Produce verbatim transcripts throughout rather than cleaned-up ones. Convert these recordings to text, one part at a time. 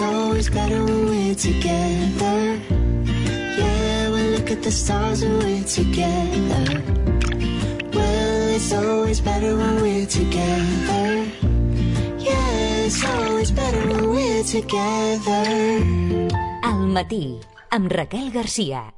always better when we're together. Yeah, we look at the stars when we're together. Well, it's always better when we're together. Yeah, it's always better when we're together. Al matí, amb Raquel Garcia.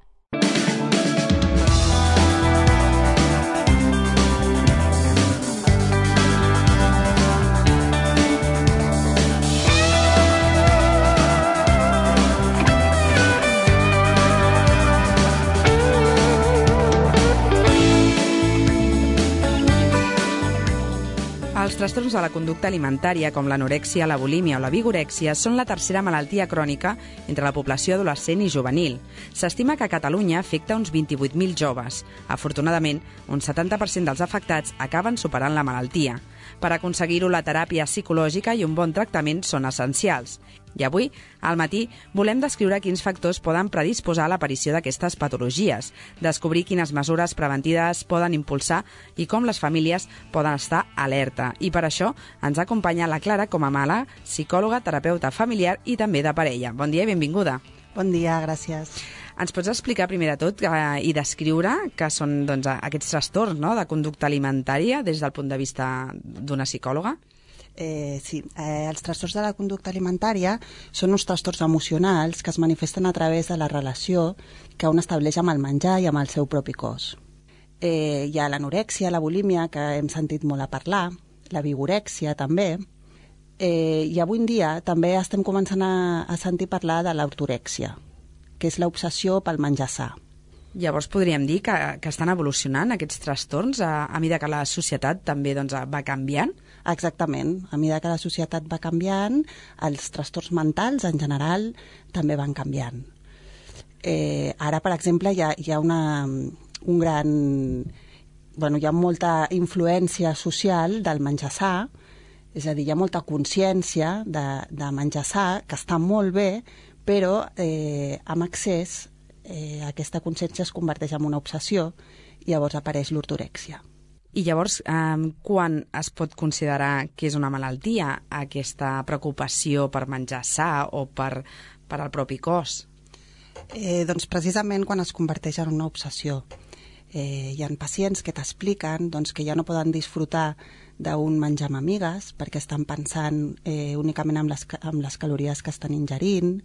Els trastorns de la conducta alimentària, com l'anorèxia, la bulímia o la vigorèxia, són la tercera malaltia crònica entre la població adolescent i juvenil. S'estima que a Catalunya afecta uns vint-i-vuit mil joves. Afortunadament, un setanta per cent dels afectats acaben superant la malaltia. Per aconseguir-ho, la teràpia psicològica i un bon tractament són essencials. I avui, al matí, volem descriure quins factors poden predisposar a l'aparició d'aquestes patologies, descobrir quines mesures preventives poden impulsar i com les famílies poden estar alerta. I per això ens acompanya la Clara Comamala, psicòloga, terapeuta familiar i també de parella. Bon dia i benvinguda. Bon dia, gràcies. Ens pots explicar primer de tot eh, i descriure què són doncs, aquests trastorns, no?, de conducta alimentària des del punt de vista d'una psicòloga? Eh, sí, eh, els trastorns de la conducta alimentària són uns trastorns emocionals que es manifesten a través de la relació que un estableix amb el menjar i amb el seu propi cos. Eh, hi ha l'anorèxia, la bulímia, que hem sentit molt a parlar, la vigorèxia també, eh, i avui en dia també estem començant a, a sentir parlar de l'ortorèxia, que és l'obsessió pel menjar sa. Llavors podríem dir que, que estan evolucionant aquests trastorns a, a mesura que la societat també doncs, va canviant? Exactament. A mesura que la societat va canviant, els trastorns mentals en general també van canviant. Eh, ara, per exemple, hi ha, hi ha una, un gran... Bueno, hi ha molta influència social del menjar sa, és a dir, hi ha molta consciència de, de menjar sa, que està molt bé, però eh, amb excés eh, aquesta consciència es converteix en una obsessió i llavors apareix l'ortorèxia. I llavors, eh, quan es pot considerar que és una malaltia aquesta preocupació per menjar sa o per, per al propi cos? Eh, doncs precisament quan es converteix en una obsessió. Eh, hi ha pacients que t'expliquen doncs, que ja no poden disfrutar d'un menjar amb amigues perquè estan pensant eh, únicament en les, en les calories que estan ingerint,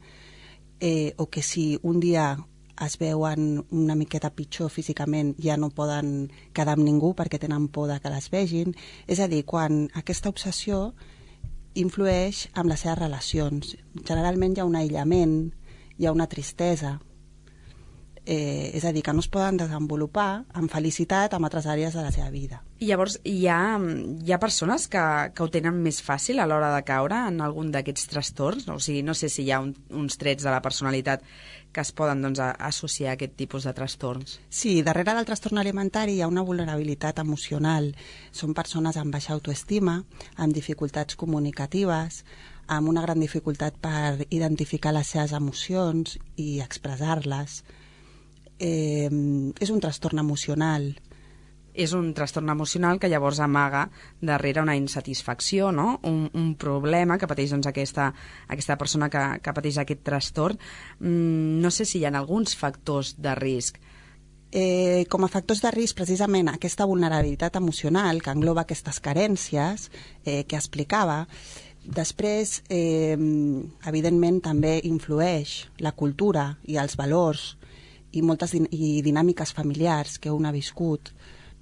eh, o que si un dia es veuen una miqueta pitjor físicament, ja no poden quedar amb ningú perquè tenen por de que les vegin. És a dir, quan aquesta obsessió influeix en les seves relacions. Generalment hi ha un aïllament, hi ha una tristesa. Eh, és a dir, que no es poden desenvolupar amb felicitat en altres àrees de la seva vida. I llavors hi ha, hi ha persones que, que ho tenen més fàcil a l'hora de caure en algun d'aquests trastorns? O sigui, no sé si hi ha un, uns trets de la personalitat que es poden doncs, a, associar a aquest tipus de trastorns. Sí, darrere del trastorn alimentari hi ha una vulnerabilitat emocional. Són persones amb baixa autoestima, amb dificultats comunicatives, amb una gran dificultat per identificar les seves emocions i expressar-les. Eh, és un trastorn emocional. És un trastorn emocional que llavors amaga darrere una insatisfacció, no? un, un problema que pateix doncs, aquesta, aquesta persona que, que pateix aquest trastorn. Mm, no sé si hi ha alguns factors de risc. Eh, com a factors de risc, precisament aquesta vulnerabilitat emocional que engloba aquestes carències eh, que explicava. Després, eh, evidentment, també influeix la cultura i els valors i moltes din- i dinàmiques familiars que un ha viscut.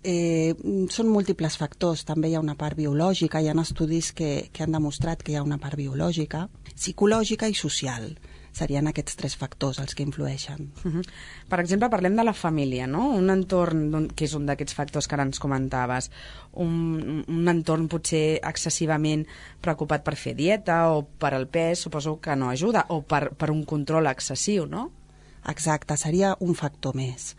Eh, són múltiples factors, també hi ha una part biològica, hi ha estudis que, que han demostrat que hi ha una part biològica, psicològica i social. Serien aquests tres factors els que influeixen. Uh-huh. Per exemple, parlem de la família, no? Un entorn que és un d'aquests factors que ara ens comentaves, un, un entorn potser excessivament preocupat per fer dieta o per al pes, suposo que no ajuda, o per, per un control excessiu, no? Exacte, seria un factor més.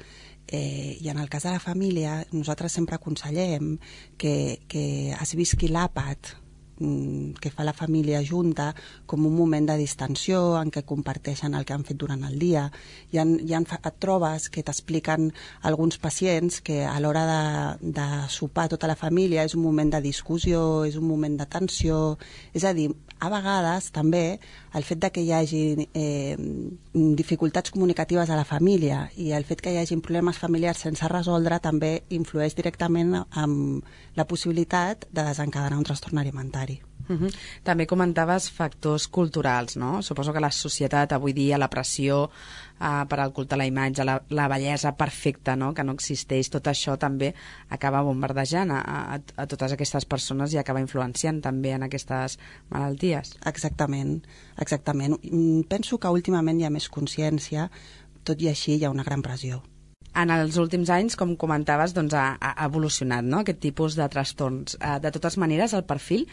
Eh, I en el cas de la família, nosaltres sempre aconsellem que, que es visqui l'àpat que fa la família junta com un moment de distensió en què comparteixen el que han fet durant el dia. Hi ha, hi ha, et trobes que t'expliquen alguns pacients que a l'hora de, de sopar tota la família és un moment de discussió, és un moment de tensió, és a dir, a vegades també el fet de que hi hagi eh, dificultats comunicatives a la família i el fet que hi hagi problemes familiars sense resoldre també influeix directament en la possibilitat de desencadenar un trastorn alimentari. Uh-huh. També comentaves factors culturals, no? Suposo que la societat avui dia, la pressió uh, per al culte a la imatge, la, la bellesa perfecta, no? Que no existeix, tot això també acaba bombardejant a, a, a totes aquestes persones i acaba influenciant també en aquestes malalties. Exactament, exactament. Penso que últimament hi ha més consciència, tot i així hi ha una gran pressió. En els últims anys, com comentaves, doncs ha, ha evolucionat, no?, aquest tipus de trastorns. De totes maneres, el perfil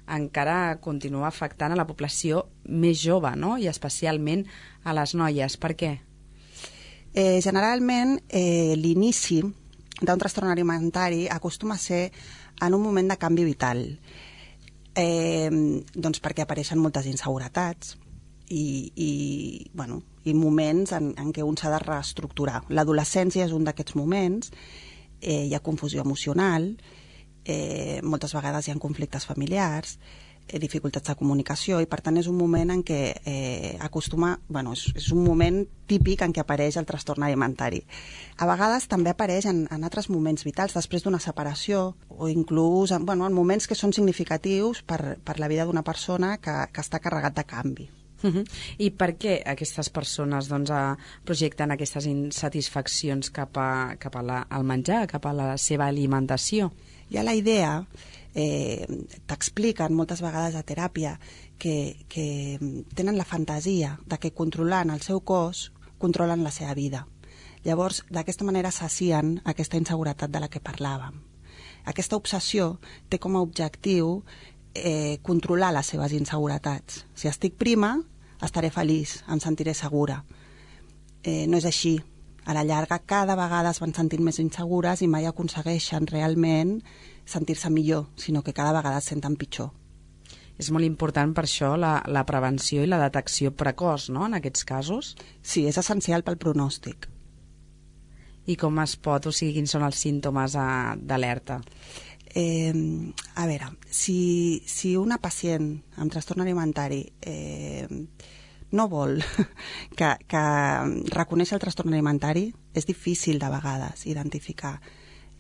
encara continua afectant a la població més jove, no?, i especialment a les noies. Per què? Eh, generalment, eh, l'inici d'un trastorn alimentari acostuma a ser en un moment de canvi vital, eh, doncs perquè apareixen moltes inseguretats i, i, bueno, i moments en, en què un s'ha de reestructurar. L'adolescència és un d'aquests moments, eh, hi ha confusió emocional, Eh, moltes vegades hi ha conflictes familiars, eh, dificultats de comunicació, i per tant és un moment en què eh, acostuma, bueno, és, és un moment típic en què apareix el trastorn alimentari. A vegades també apareix en, en altres moments vitals, després d'una separació, o inclús en, bueno, en moments que són significatius per, per la vida d'una persona que, que està carregat de canvi. Uh-huh. I per què aquestes persones doncs, a, projecten aquestes insatisfaccions cap, a, cap a la, al menjar, cap a la seva alimentació? Hi ha la idea, eh, t'expliquen moltes vegades a teràpia, que, que tenen la fantasia de que controlant el seu cos controlen la seva vida. Llavors, d'aquesta manera sacien aquesta inseguretat de la que parlàvem. Aquesta obsessió té com a objectiu eh, controlar les seves inseguretats. Si estic prima, estaré feliç, em sentiré segura. Eh, no és així. A la llarga, cada vegada es van sentint més insegures i mai aconsegueixen realment sentir-se millor, sinó que cada vegada es senten pitjor. És molt important per això la, la prevenció i la detecció precoç, no?, en aquests casos? Sí, és essencial pel pronòstic. I com es pot, o sigui, quins són els símptomes d'alerta? Eh, a veure, si, si una pacient amb trastorn alimentari eh, no vol que, que reconèixer el trastorn alimentari, és difícil de vegades identificar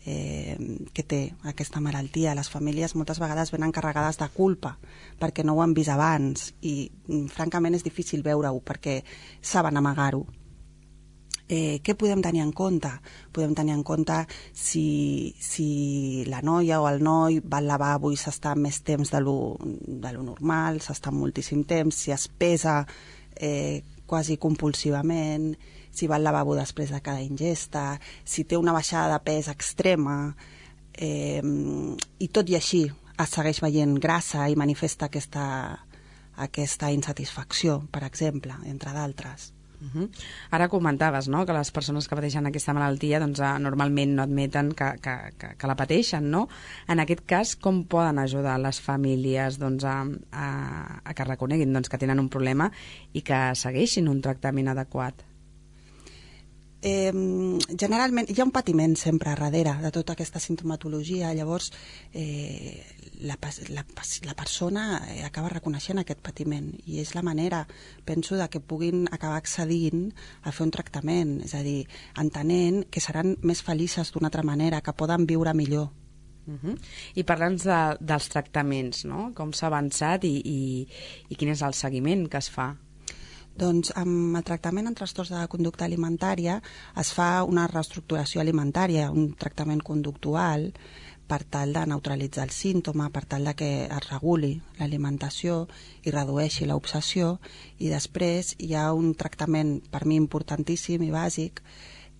eh, que té aquesta malaltia. Les famílies moltes vegades venen carregades de culpa perquè no ho han vist abans i francament és difícil veure-ho perquè saben amagar-ho. Eh, què podem tenir en compte? Podem tenir en compte si, si la noia o el noi va al lavabo i s'està més temps de lo, de lo normal, s'està moltíssim temps, si es pesa eh, quasi compulsivament, si va al lavabo després de cada ingesta, si té una baixada de pes extrema, eh, i tot i així es segueix veient grassa i manifesta aquesta, aquesta insatisfacció, per exemple, entre d'altres. Uh-huh. Ara comentaves, no?, que les persones que pateixen aquesta malaltia doncs, eh, normalment no admeten que, que, que, que la pateixen, no? En aquest cas, com poden ajudar les famílies doncs, a, a, a que reconeguin doncs, que tenen un problema i que segueixin un tractament adequat? Eh, generalment hi ha un patiment sempre a darrere de tota aquesta sintomatologia, llavors eh, la, la, la persona acaba reconeixent aquest patiment i és la manera, penso, de que puguin acabar accedint a fer un tractament, és a dir, entenent que seran més felices d'una altra manera, que poden viure millor. Uh-huh. I parla'ns de, dels tractaments, no?, com s'ha avançat i, i, i quin és el seguiment que es fa? Doncs amb el tractament en trastorns de conducta alimentària es fa una reestructuració alimentària, un tractament conductual per tal de neutralitzar el símptoma, per tal de que es reguli l'alimentació i redueixi l'obsessió, i després hi ha un tractament per mi importantíssim i bàsic,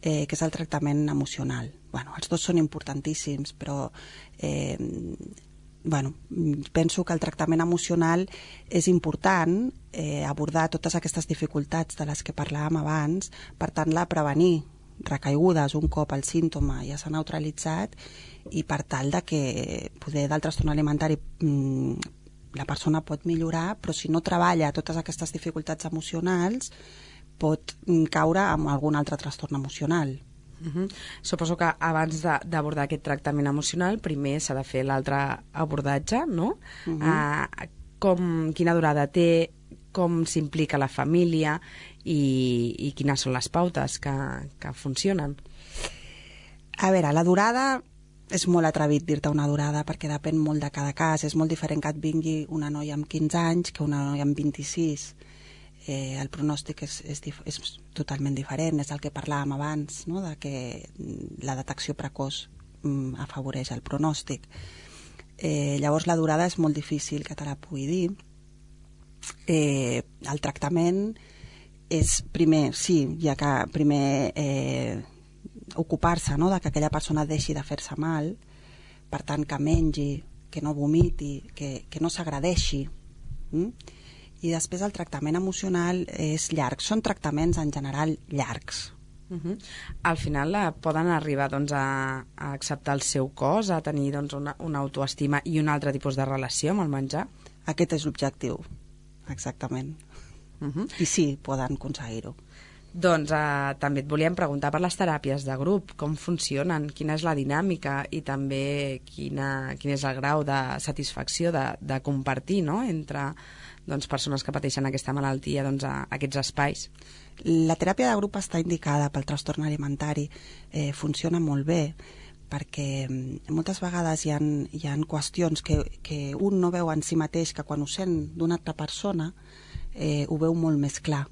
eh, que és el tractament emocional. Bueno, els dos són importantíssims, però eh, bueno, penso que el tractament emocional és important, eh, abordar totes aquestes dificultats de les que parlàvem abans, per tant, la prevenir recaigudes un cop el símptoma ja s'ha neutralitzat i per tal de que poder del trastorn alimentari mm, la persona pot millorar, però si no treballa totes aquestes dificultats emocionals, pot caure en algun altre trastorn emocional. Uh-huh. Suposo que abans de, d'abordar aquest tractament emocional, primer s'ha de fer l'altre abordatge, no? Uh-huh. Uh, com, quina durada té, com s'implica la família i, i quines són les pautes que, que funcionen. A veure, la durada és molt atrevit dir-te una durada perquè depèn molt de cada cas. És molt diferent que et vingui una noia amb quinze anys que una noia amb vint-i-sis. Eh, el pronòstic és, és, dif- és totalment diferent. És el que parlàvem abans, no? De que la detecció precoç mm, afavoreix el pronòstic. Eh, llavors la durada és molt difícil que te la pugui dir. Eh, el tractament és primer, sí, ja que primer eh, ocupar-se, no?, de que aquella persona deixi de fer-se mal, per tant que mengi, que no vomiti, que, que no s'agradeixi. Mm? I després el tractament emocional és llarg. Són tractaments en general llargs. Uh-huh. Al final la, poden arribar doncs, a, a acceptar el seu cos, a tenir doncs, una, una autoestima i un altre tipus de relació amb el menjar? Aquest és l'objectiu, exactament. Uh-huh. I sí, poden aconseguir-ho. Doncs eh, també et volíem preguntar per les teràpies de grup, com funcionen, quina és la dinàmica i també quina, quin és el grau de satisfacció de, de compartir, no?, entre doncs, persones que pateixen aquesta malaltia, doncs, a, a aquests espais. La teràpia de grup està indicada pel trastorn alimentari, eh, funciona molt bé, perquè moltes vegades hi ha, hi ha qüestions que, que un no veu en si mateix, que quan ho sent d'una altra persona eh, ho veu molt més clar.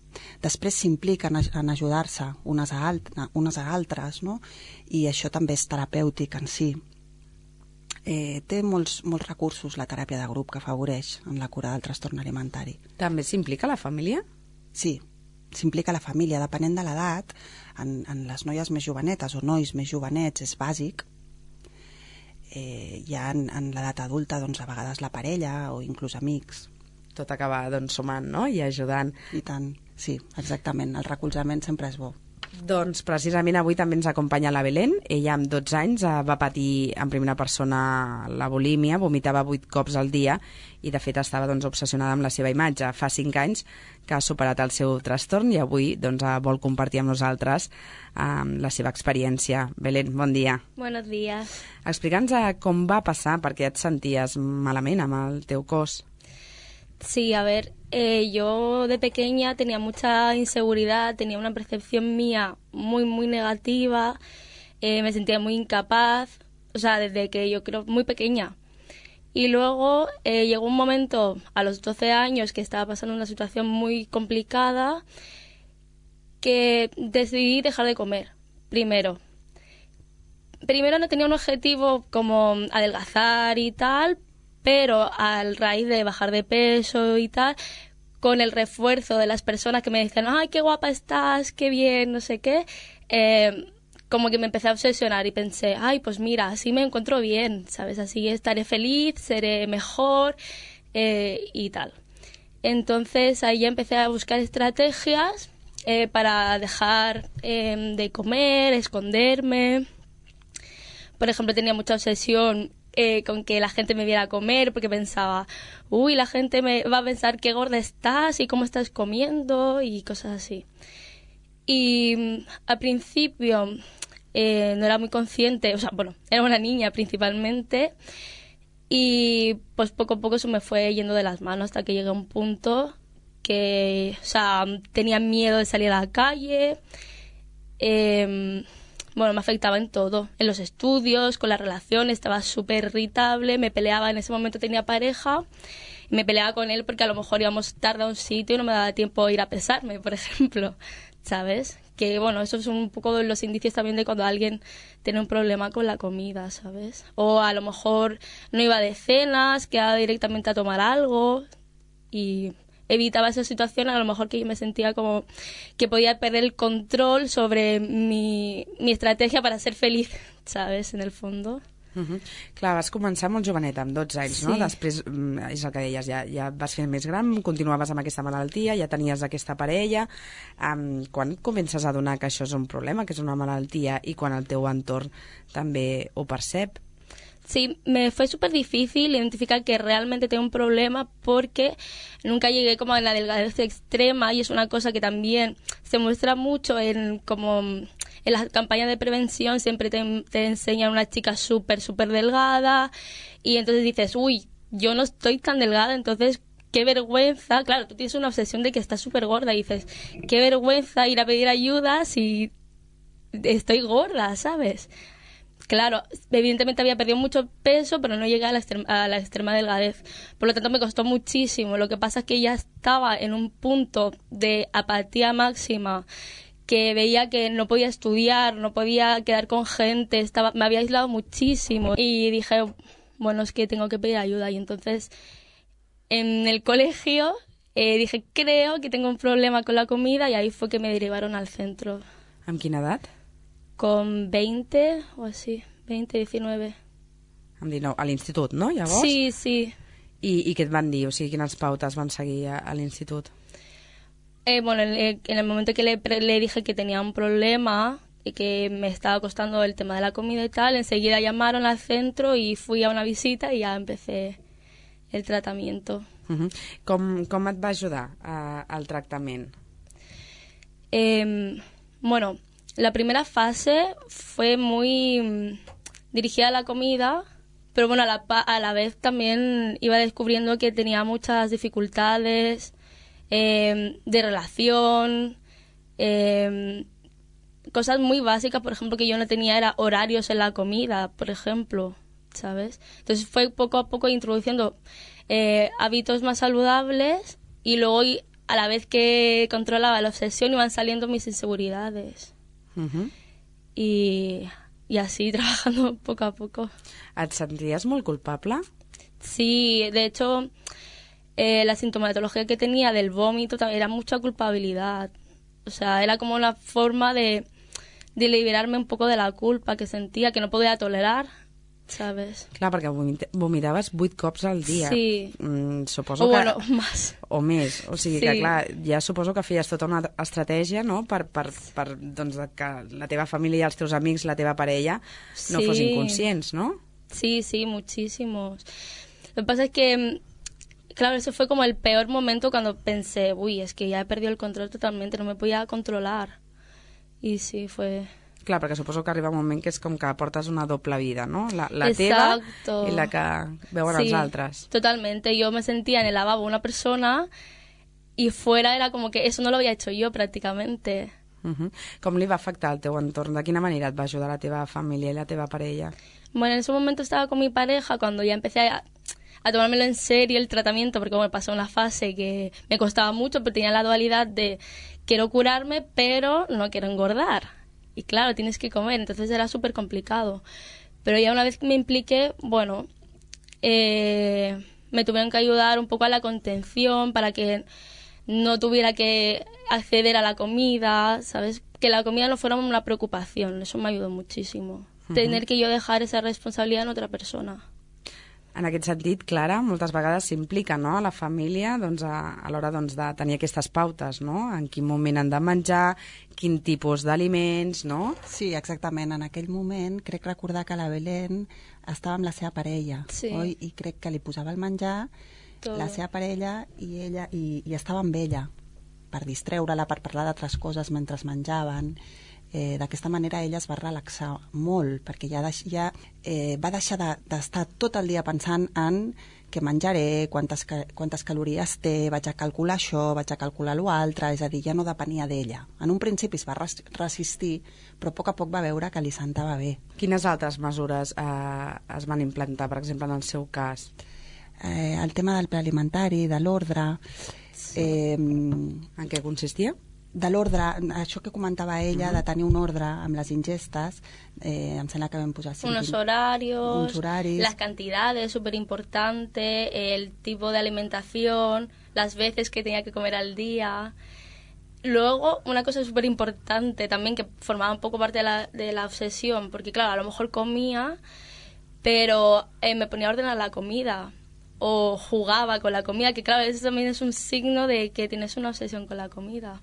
Després s'implica en, en ajudar-se unes a, alt, unes a altres, no? I això també és terapèutic en si. Eh, té molts, molts recursos la teràpia de grup que afavoreix en la cura del trastorn alimentari. També s'implica la família? Sí, s'implica la família, depenent de l'edat. En, en les noies més jovenetes o nois més jovenets és bàsic. Eh, ja en, en l'edat adulta, doncs, a vegades la parella o inclús amics. Tot acaba doncs, sumant, no?, i ajudant. I tant, sí, exactament. El recolzament sempre és bo. Doncs precisament avui també ens acompanya la Belén. Ella amb dotze anys va patir en primera persona la bulímia, vomitava vuit cops al dia i de fet estava doncs, obsessionada amb la seva imatge. Fa cinc anys que ha superat el seu trastorn i avui doncs, vol compartir amb nosaltres eh, la seva experiència. Belén, bon dia. Buenos días. Explica'ns com va passar, perquè et senties malament amb el teu cos. Sí, a ver, eh, yo de pequeña tenía mucha inseguridad, tenía una percepción mía muy, muy negativa, eh, me sentía muy incapaz, o sea, desde que yo creo muy pequeña. Y luego eh, llegó un momento a los doce años que estaba pasando una situación muy complicada que decidí dejar de comer, primero. Primero no tenía un objetivo como adelgazar y tal, pero a raíz de bajar de peso y tal, con el refuerzo de las personas que me decían, ay, qué guapa estás, qué bien, no sé qué, eh, como que me empecé a obsesionar y pensé, ay, pues mira, así me encuentro bien, ¿sabes? Así estaré feliz, seré mejor eh, y tal. Entonces ahí ya empecé a buscar estrategias eh, para dejar eh, de comer, esconderme. Por ejemplo, tenía mucha obsesión Eh, con que la gente me viera comer, porque pensaba, uy, la gente me va a pensar qué gorda estás y cómo estás comiendo y cosas así. Y mm, al principio eh, no era muy consciente, o sea, bueno, era una niña principalmente, y pues poco a poco eso me fue yendo de las manos hasta que llegué a un punto que, o sea, tenía miedo de salir a la calle, eh, bueno, me afectaba en todo, en los estudios, con las relaciones, estaba súper irritable, me peleaba, en ese momento tenía pareja, y me peleaba con él porque a lo mejor íbamos tarde a un sitio y no me daba tiempo a ir a pesarme, por ejemplo, ¿sabes? Que bueno, eso es un poco los indicios también de cuando alguien tiene un problema con la comida, ¿sabes? O a lo mejor no iba de cenas, quedaba directamente a tomar algo y evitaba esa situación, a lo mejor que yo me sentía como que podía perder el control sobre mi, mi estrategia para ser feliz, ¿sabes? En el fondo. Uh-huh. Clar, vas començar molt jovenet, amb dotze anys, sí. no? Després, és el que deies, ja, ja vas fent més gran, continuaves amb aquesta malaltia, ja tenies aquesta parella. Um, quan comences a adonar que això és un problema, que és una malaltia, i quan el teu entorn també ho percep? Sí, me fue súper difícil identificar que realmente tengo un problema porque nunca llegué como a la delgadez extrema y es una cosa que también se muestra mucho en como en las campañas de prevención, siempre te, te enseñan una chica súper, súper delgada y entonces dices, uy, yo no estoy tan delgada, entonces qué vergüenza. Claro, tú tienes una obsesión de que estás súper gorda y dices, qué vergüenza ir a pedir ayuda si estoy gorda, ¿sabes? Claro, evidentemente había perdido mucho peso, pero no llegué a la, extrema, a la extrema delgadez. Por lo tanto, me costó muchísimo. Lo que pasa es que ya estaba en un punto de apatía máxima, que veía que no podía estudiar, no podía quedar con gente, estaba, me había aislado muchísimo. Y dije, bueno, es que tengo que pedir ayuda. Y entonces, en el colegio, eh, dije, creo que tengo un problema con la comida, y ahí fue que me derivaron al centro. ¿Amb quina edat? Con veinte o así, veinte, diecinueve. Amb dinou, a l'institut, no, llavors? Sí, sí. I, i què et van dir? O sigui, quines pautes van seguir a, a l'institut? Eh, bueno, en el momento que le, le dije que tenía un problema y que me estaba costando el tema de la comida y tal, enseguida llamaron al centro y fui a una visita y ya empecé el tratamiento. Uh-huh. Com, com et va ajudar a, al tractament? Eh, bueno... La primera fase fue muy dirigida a la comida, pero bueno, a la, a la vez también iba descubriendo que tenía muchas dificultades eh, de relación, eh, cosas muy básicas, por ejemplo, que yo no tenía era horarios en la comida, por ejemplo, ¿sabes? Entonces fue poco a poco introduciendo eh, hábitos más saludables y luego a la vez que controlaba la obsesión iban saliendo mis inseguridades. Uh-huh. y, y así trabajando poco a poco. ¿Et sentías molt culpable? Sí, de hecho eh, la sintomatología que tenía del vómito era mucha culpabilidad, o sea, era como una forma de, de liberarme un poco de la culpa que sentía, que no podía tolerar, ¿sabes? Clar, perquè vomit vomitaves vuit cops al dia. Sí. Mm, suposo o que... bueno, más. O més. O sigui sí. que, clar, ja suposo que feies tota una estratègia, no?, per, per, per doncs, que la teva família, els teus amics, la teva parella no sí. fossin conscients, ¿no? Sí, sí, muchísimos. Lo que pasa es que, claro, eso fue como el peor momento cuando pensé, uy, es que ya he perdido el control totalmente, no me podía controlar. Y sí, fue... Clar, perquè suposo que arriba un moment que és com que portes una doble vida, no? La, la Exacto. teva i la que veuen sí, els altres. Totalmente. Yo me sentía en el lavabo una persona y fuera era como que eso no lo había hecho yo prácticamente. Uh-huh. Com li va afectar el teu entorn? De quina manera et va ajudar la teva família i la teva parella? Bueno, en ese momento estaba con mi pareja cuando ya empecé a, a tomármelo en serio el tratamiento, porque me pasó una fase que me costaba mucho, pero tenía la dualidad de quiero curarme, pero no quiero engordar. Y claro, tienes que comer, entonces era súper complicado. Pero ya una vez que me impliqué, bueno, eh, me tuvieron que ayudar un poco a la contención para que no tuviera que acceder a la comida, ¿sabes? Que la comida no fuera una preocupación, eso me ayudó muchísimo. Uh-huh. Tener que yo dejar esa responsabilidad en otra persona. En aquest sentit, Clara, moltes vegades s'implica, no?, a la família doncs, a, a l'hora doncs, de tenir aquestes pautes, no?, en quin moment han de menjar, quin tipus d'aliments, no? Sí, exactament. En aquell moment crec recordar que la Belén estava amb la seva parella, sí. oi? I crec que li posava el menjar, Tot. la seva parella, i ella i, i estava amb ella per distreure-la, per parlar d'altres coses mentre menjaven. Eh, d'aquesta manera ella es va relaxar molt, perquè ja, deix, ja eh, va deixar d'estar de, tot el dia pensant en què menjaré, quantes, quantes calories té, vaig a calcular això, vaig a calcular l'altre, és a dir, ja no depenia d'ella. En un principi es va res resistir, però a poc a poc va veure que li sentava bé. Quines altres mesures eh, es van implantar, per exemple, en el seu cas? Eh, el tema del pla alimentari, de l'ordre... Eh, en què consistia? De l'ordre, això que comentava ella, uh-huh. de tenir un ordre amb les ingestes, eh, em sembla que vam posar... cinc, unos horarios, uns horaris, las cantidades, súper importante, el tipo de alimentación, las veces que tenía que comer al día. Luego, una cosa súper importante también, que formaba un poco parte de la, de la obsesión, porque claro, a lo mejor comía, pero eh, me ponía a ordenar la comida, o jugaba con la comida, que claro, eso también es un signo de que tienes una obsesión con la comida.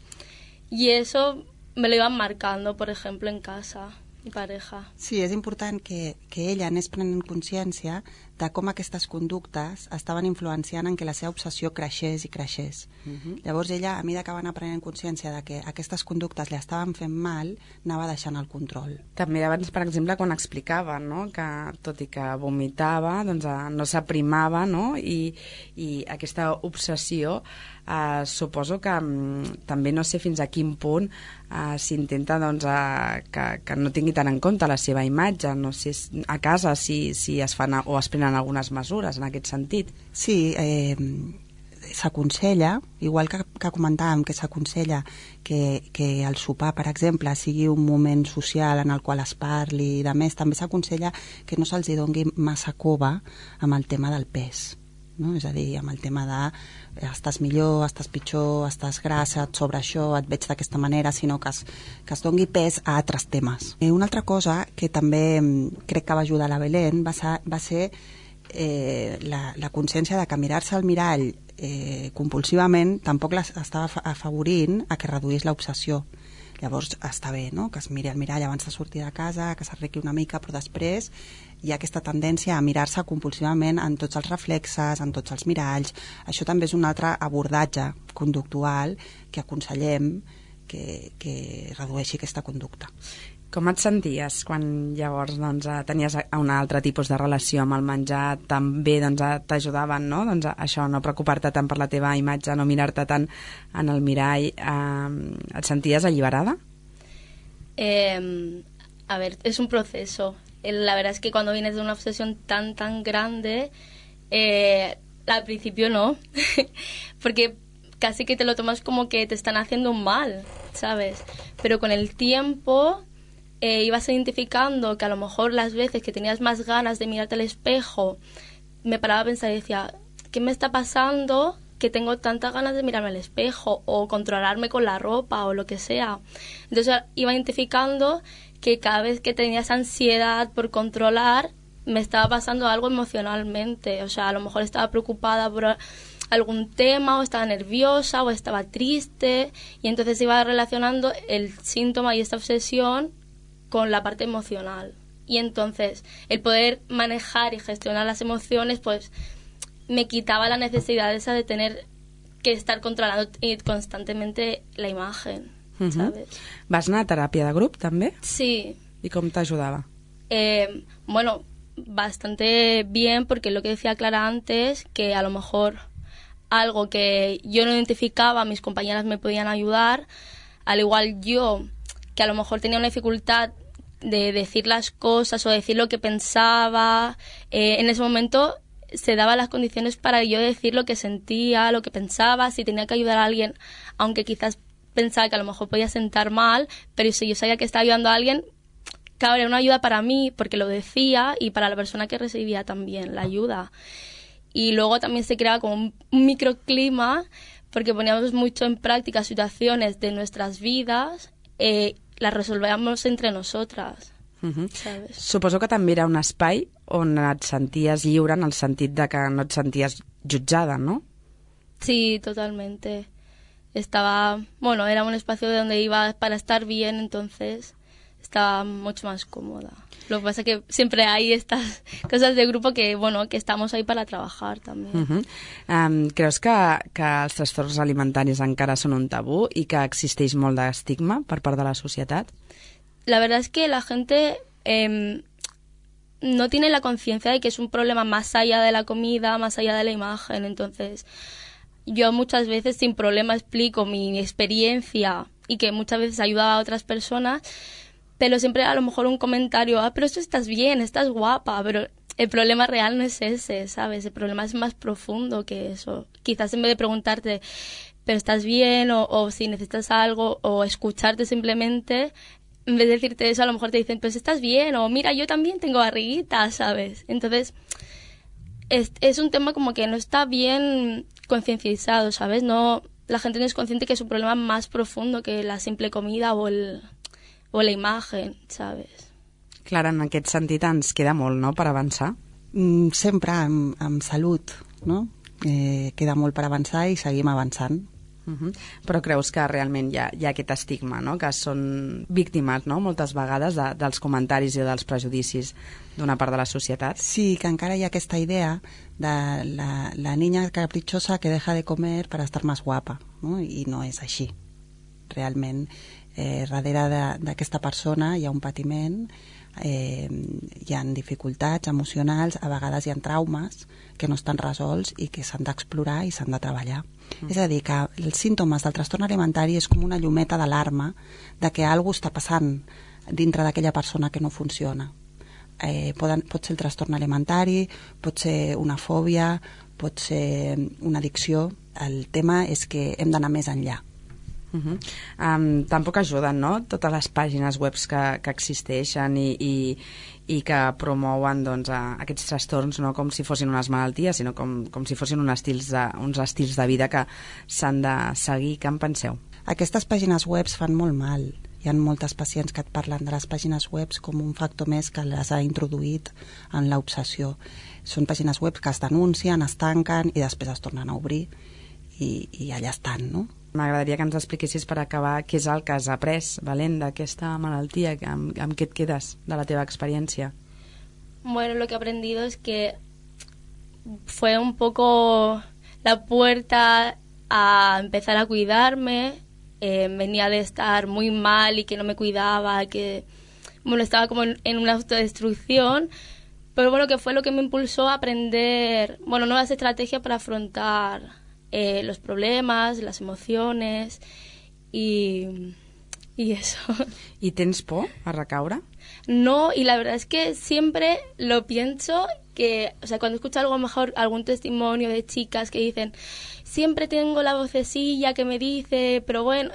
Y eso me lo iban marcando, por ejemplo, en casa. mi pareja. Sí, és important que, que ella anés prenent consciència de com aquestes conductes estaven influenciant en que la seva obsessió creixés i creixés. Uh-huh. Llavors ella, a mesura que va anar prenent consciència de que aquestes conductes li estaven fent mal, anava deixant el control. També abans, per exemple, quan explicava, no?, que tot i que vomitava, doncs no s'aprimava, no?, i, i aquesta obsessió eh, suposo que mm, també no sé fins a quin punt eh, s'intenta doncs, eh, que, que no tingui tan en compte la seva imatge, no sé a casa si, si es fan o es prenen algunes mesures en aquest sentit. Sí, eh, s'aconsella, igual que, que comentàvem que s'aconsella que, que el sopar, per exemple, sigui un moment social en el qual es parli i de més, també s'aconsella que no se'ls doni massa cova amb el tema del pes, no? És a dir, amb el tema de estàs millor, estàs pitjor, estàs grassa, et sobre això, et veig d'aquesta manera, sinó que es, que es doni pes a altres temes. I una altra cosa que també crec que va ajudar la Belén va ser, va ser eh, la, la consciència de que mirar-se al mirall eh, compulsivament tampoc l'estava afavorint a que reduís l'obsessió. Llavors està bé, no?, que es miri al mirall abans de sortir de casa, que s'arregui una mica, però després hi ha aquesta tendència a mirar-se compulsivament en tots els reflexes, en tots els miralls. Això també és un altre abordatge conductual que aconsellem que, que redueixi aquesta conducta. Com et senties quan llavors doncs, tenies un altre tipus de relació amb el menjar? També doncs, t'ajudaven, no? Doncs, això, no preocupar-te tant per la teva imatge, no mirar-te tant en el mirall. Eh, et senties alliberada? Eh, a ver, es un proceso. La verdad es que cuando vienes de una obsesión tan, tan grande, eh, al principio no, porque casi que te lo tomas como que te están haciendo un mal, ¿sabes? Pero con el tiempo eh, ibas identificando que a lo mejor las veces que tenías más ganas de mirarte al espejo, me paraba a pensar y decía, ¿qué me está pasando que tengo tantas ganas de mirarme al espejo o controlarme con la ropa o lo que sea? Entonces iba identificando que cada vez que tenía esa ansiedad por controlar, me estaba pasando algo emocionalmente. O sea, a lo mejor estaba preocupada por algún tema, o estaba nerviosa, o estaba triste, y entonces iba relacionando el síntoma y esta obsesión con la parte emocional. Y entonces, el poder manejar y gestionar las emociones, pues, me quitaba la necesidad esa de tener que estar controlando constantemente la imagen. Uh-huh. ¿Sabes? Vas anar a teràpia de grup, també? Sí. I com t'ajudava? Eh, bueno, bastante bien, porque lo que decía Clara antes, que a lo mejor algo que yo no identificaba, mis compañeras me podían ayudar, al igual yo, que a lo mejor tenía una dificultad de decir las cosas o decir lo que pensaba, eh, en ese momento se daban las condiciones para yo decir lo que sentía, lo que pensaba, si tenía que ayudar a alguien, aunque quizás pensaba que a lo mejor podía sentar mal, pero si yo sabía que estaba ayudando a alguien, claro, era una ayuda para mí, porque lo decía, y para la persona que recibía también la ayuda. Y luego también se creaba como un, un microclima, porque poníamos mucho en práctica situaciones de nuestras vidas, eh, las resolvíamos entre nosotras. Uh-huh. ¿Sabes? Suposo que també era un espai on et senties lliure en el sentit de que no et senties jutjada, ¿no? Sí, totalmente. Estaba, bueno, era un espacio de donde iba para estar bien, entonces estaba mucho más cómoda. Lo que pasa es que siempre hay estas cosas de grupo que, bueno, que estamos ahí para trabajar también. Uh-huh. um, creus que, que els trastorns alimentaris encara són un tabú i que existeix molt d'estigma per part de la societat? La verdad es que la gente eh, no tiene la conciencia de que es un problema más allá de la comida, más allá de la imagen. Entonces, yo muchas veces sin problema explico mi experiencia y que muchas veces ayuda a otras personas, pero siempre a lo mejor un comentario, ah, pero esto estás bien, estás guapa, pero el problema real no es ese, ¿sabes? El problema es más profundo que eso. Quizás en vez de preguntarte, pero estás bien, o, o si necesitas algo, o escucharte simplemente, en vez de decirte eso, a lo mejor te dicen, pues estás bien, o mira, yo también tengo barriguita, ¿sabes? Entonces, es, es un tema como que no está bien concienciado, ¿sabes? No, la gente no es consciente que es un problema más profundo que la simple comida o, el, o la imagen, ¿sabes? Clara, en aquest sentit ens queda molt, no?, per avançar. Mm, sempre amb, amb salut, no? Eh, queda molt per avançar i seguim avançant. Uh-huh. Però creus que realment hi ha, hi ha aquest estigma, no? Que són víctimes, no? Moltes vegades de, dels comentaris i dels prejudicis d'una part de la societat? Sí, que encara hi ha aquesta idea de la, la niña caprichosa que deja de comer para estar más guapa, no? I no és així. Realment, eh, darrere d'aquesta persona hi ha un patiment, eh, hi ha dificultats emocionals, a vegades hi ha traumes que no estan resolts i que s'han d'explorar i s'han de treballar. Mm. És a dir, que els símptomes del trastorn alimentari és com una llumeta d'alarma de que alguna cosa està passant dintre d'aquella persona que no funciona. Eh, poden, pot ser el trastorn alimentari, pot ser una fòbia, pot ser una addicció. El tema és que hem d'anar més enllà. Uh-huh. Um, tampoc ajuden, no?, totes les pàgines web que, que existeixen i, i, i que promouen, doncs, a, aquests trastorns, no com si fossin unes malalties, sinó com, com si fossin uns estils de, uns estils de vida que s'han de seguir. Què en penseu? Aquestes pàgines web fan molt mal. Hi ha moltes pacients que et parlen de les pàgines web com un factor més que les ha introduït en l'obsessió. Són pàgines web que es denuncien, es tanquen i després es tornen a obrir i, i allà estan, no? M'agradaria que ens expliquessis, per acabar, què és el que has après, Valent, d'aquesta malaltia, amb, amb què et quedes de la teva experiència? Bueno, lo que he aprendido es que fue un poco la puerta a empezar a cuidarme. Eh, venía de estar muy mal y que no me cuidaba, que bueno, estaba como en, en una autodestrucción, pero bueno, que fue lo que me impulsó a aprender, bueno, nuevas estrategias para afrontar Eh, los problemas, las emociones y, y eso. ¿Y tienes por a recaure? No, y la verdad es que siempre lo pienso que, o sea, cuando escucho algo mejor, algún testimonio de chicas que dicen, siempre tengo la vocecilla que me dice, pero bueno,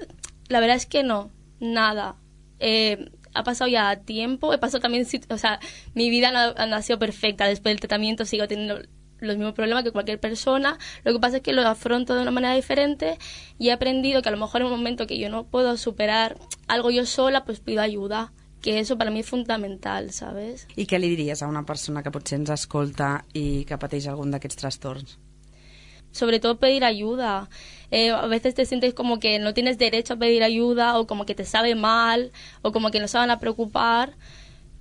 la verdad es que no, nada. Eh, ha pasado ya tiempo, he pasado también, o sea, mi vida no, no ha sido perfecta, después del tratamiento sigo teniendo los mismos problemas que cualquier persona, lo que pasa es que lo afronto de una manera diferente y he aprendido que a lo mejor en un momento que yo no puedo superar algo yo sola, pues pido ayuda, que eso para mí es fundamental, ¿sabes? I què li diries a una persona que potser ens escolta i que pateix algun d'aquests trastorns? Sobre todo pedir ayuda. Eh, a veces te sientes como que no tienes derecho a pedir ayuda o como que te sabe mal o como que no se van a preocupar,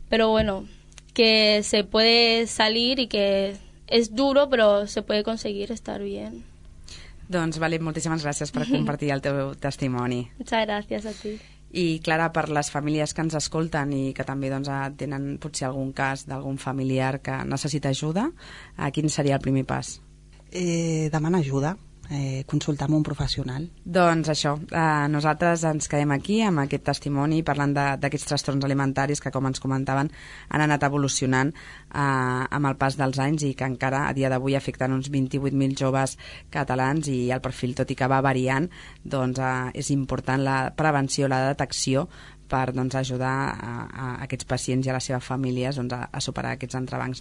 pero bueno, que se puede salir y que es duro, pero se puede conseguir estar bien. Doncs, Valent, moltíssimes gràcies per compartir el teu testimoni. Muchas gracias a ti. I, Clara, per les famílies que ens escolten i que també doncs, tenen potser algun cas d'algun familiar que necessita ajuda, quin seria el primer pas? Eh, demana ajuda. Eh, consultar amb un professional. Doncs això, eh, nosaltres ens quedem aquí amb aquest testimoni parlant d'aquests trastorns alimentaris que, com ens comentaven, han anat evolucionant eh, amb el pas dels anys i que encara a dia d'avui afecten uns vint-i-vuit mil joves catalans i el perfil, tot i que va variant, doncs eh, és important la prevenció, la detecció per doncs, ajudar a, a aquests pacients i a les seves famílies doncs, a, a superar aquests entrebancs.